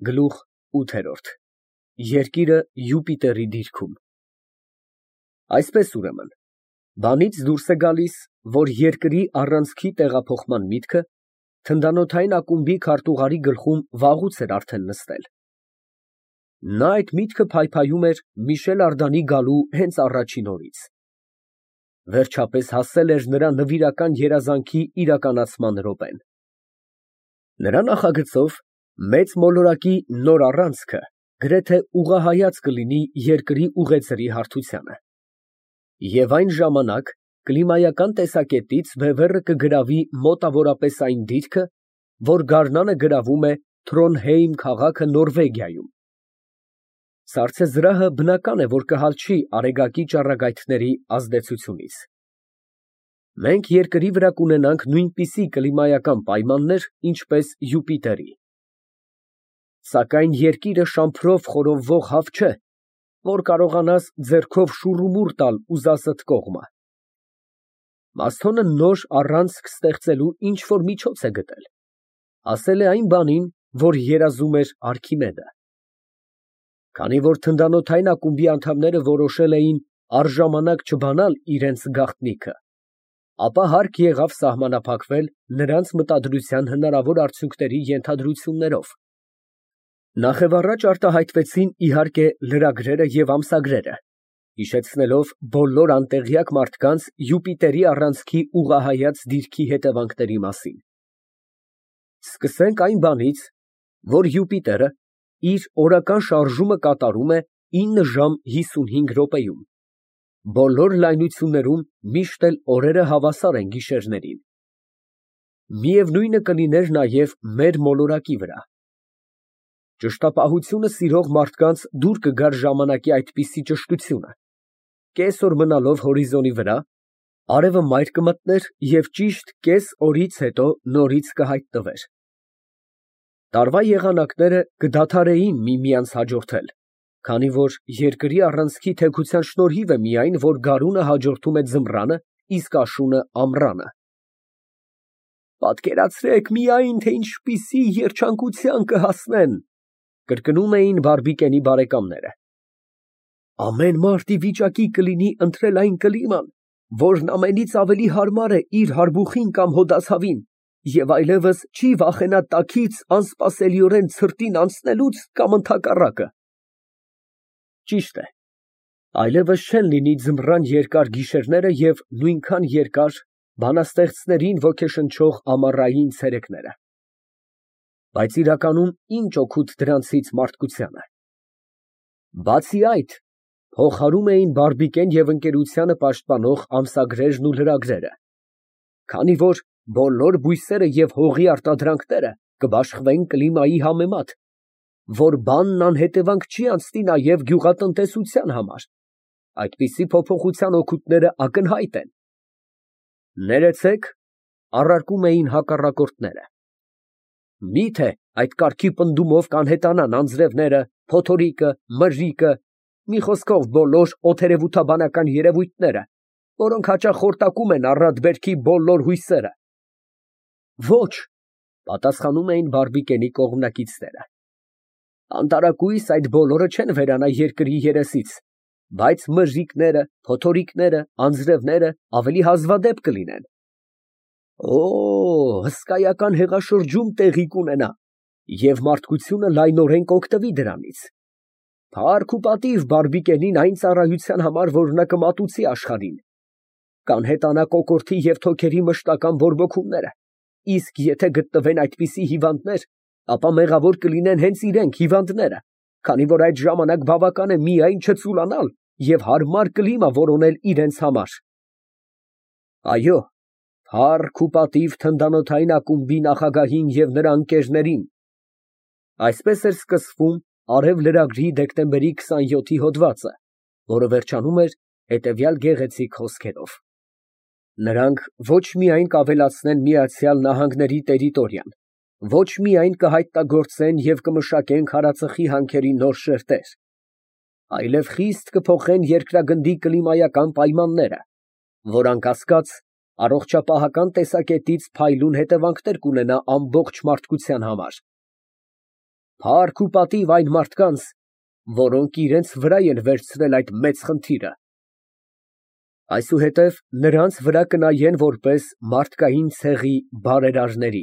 Գլուխ ՈՒԹԵՐՈՐԴ Երկիրը Յուպիտերի դիրքում։ Այսպես ուրեմն, բանից դուրս է գալիս, որ երկրի առանցքի տեղափոխման միտքը թնդանոթային ակումբի քարտուղարի գլխում վաղուց էր արդեն նստել։ Նա այդ միտքը փայփայում էր Միշել Արդանի գալու հենց առաջին օրից։ Վերջապես հասել էր նրա նվիրական երազանքի իրականացման րոպեն։ Նրա նախագծով մեծ մոլորակի նոր առանցքը գրեթե ուղղահայաց կլինի երկրի ուղեծրի հարթությանը։ Եվ այն ժամանակ կլիմայական տեսակետից Բևեռը կգրավի մոտավորապես այն դիրքը, որ գարնանը գրավում է Թրոնհեյմ քաղաքը Նորվեգիայում։ Սառցեզրահը բնական է, որ կհալչի Արեգակի ճառագայթների ազդեցությունից։ Մենք երկրի վրա կունենանք նույնպիսի կլիմայական պայմաններ, ինչպես Յուպիտերի։ Սակայն երկիրը շամփրով խորովվող հավ չէ, որ կարողանաս ձեռքով շուռումուռ տալ ուզածդ կողմը։ Մասթոնը նոր առանցք ստեղծելու ինչ֊որ միջոց է գտել, ասել է այն բանին, որ երազում էր Արքիմեդը։ Քանի որ թնդանոթային ակումբի անդամները որոշել էին առժամանակ չբանալ իրենց գաղտնիքը, ապա հարկ եղավ սահմանափակվել նրանց մտադրության հնարավոր արդյունքների ենթադրություններով։ Նախևառաջ արտահայտվեցին իհարկե լրագրերը և ամսագրերը, հիշեցնելով բոլոր անտեղյակ մարդկանց Յուպիտերի առանցքի ուղղահայաց դիրքի հետևանքների մասին։ Սկսենք այն բանից, որ Յուպիտերը իր օրական շարժումը կատարում է 9 ժամ 55 րոպեում, բոլոր լայնություններում միշտ էլ օրերը հավասար են գիշերներին։ Միևնույնը կլիներ նաև մեր մոլորակի վրա։ Ճշտապահությունը սիրող մարդկանց դուր կգար ժամանակի այդպիսի ճշտությունը. կես օր մնալով հորիզոնի վրա, արևը մայր կմտներ և ճիշտ կես օրից հետո նորից կհայտնվեր։ Տարվա եղանակները կդադարեին միմյանց հաջորդել, քանի որ երկրի առանցքի թեքության շնորհիվ է միայն, որ գարունը հաջորդում է ձմռանը, իսկ աշունը ամռանը։ Պատկերացրեք միայն, թե ինչպիսի երջանկության կհասնեն, կրկնում էին Բարբիկենի բարեկամները։ Ամեն մարդ ի վիճակի կլինի ընտրել այն կլիման, որն ամենից ավելի հարմար է իր հարբուխին կամ հոդացավին, և այլևս չի վախենա տաքից անսպասելիորեն ցրտին անցնելուց կամ ընդհակառակը։ Ճիշտ է, այլևս չեն լինի ձմռան երկար գիշերները և նույնքան երկար բանաստեղծներին ոգեշնչող ամառային ցերեկները։ Բայց իրականում ինչ օգուտ դրանցից մարդկությանը։ Բացի այդ, փողհարում էին Բարբիկեն և ընկերությանը պաշտպանող ամսագրերն ու լրագրերը, քանի որ բոլոր բույսերը և հողի արտադրանքները կբաշխվեն կլիմայի համեմատ, որ բանն անհետևանք չի անցնի նաև գյուղատնտեսության համար, այդպիսի փոփոխության օգուտները ակնհայտ են։ Ներեցեք, առարկում էին հակառակորդները։ Միթե այդ կարգի պնդումով կանհետանան անձրևները, փոթորիկը, մրրիկը, մի խոսքով բոլոր օդերևութաբանական երևույթները, որոնք հաճախ խորտակում են առատ բերքի բոլոր հույսերը։ Ոչ, պատասխանում էին Բարբիկենի կողմնակիցները։ Անտարակույս այդ բոլորը չեն վերանա երկրի երեսից, բայց մրրիկները, փոթորիկները, անձրևները ավելի հազվադեպ կլինեն։ Օ, հսկայական հեղաշրջում տեղի կունենա, և մարդկությունը լայնորեն կօգտվի դրանից։ Փառք ու պատիվ Բարբիկենին այն ծառայության համար, որ նա կմատուցի աշխարհին։ Կանհետանա կոկորդի և թոքերի մշտական բորբոքումները, իսկ եթե գտնվեն այդպիսի հիվանդներ, ապա մեղավոր կլինեն հենց իրենք հիվանդները, քանի որ այդ ժամանակ բավական է միայն չծուլանալ և հարմար կլիմա որոնել իրենց համար։ Այո, փառք ու պատիվ թնդանոթային ակումբի նախագահին և նրա ընկերներին։ Այսպես էր սկսվում Արև լրագրի դեկտեմբերի 27-ի հոդվածը, որը վերջանում էր հետևյալ գեղեցիկ խոսքերով. Նրանք ոչ միայն կավելացնեն Միացյալ Նահանգների տերիտորիան, ոչ միայն կհայտնագործեն և կմշակեն քարածխի հանքերի նոր շերտեր, այլև խիստ կփոխեն երկրագնդի կլիմայական պայմանները, որ անկասկած առողջապահական տեսակետից փայլուն հետևանքներ կունենա ամբողջ մարդկության համար։ Փառք ու պատիվ այն մարդկանց, որոնք իրենց վրա են վերցրել այդ մեծ խնդիրը։ Այսուհետև նրանց վրա կնայեն որպես մարդկային ցեղի բարերարների։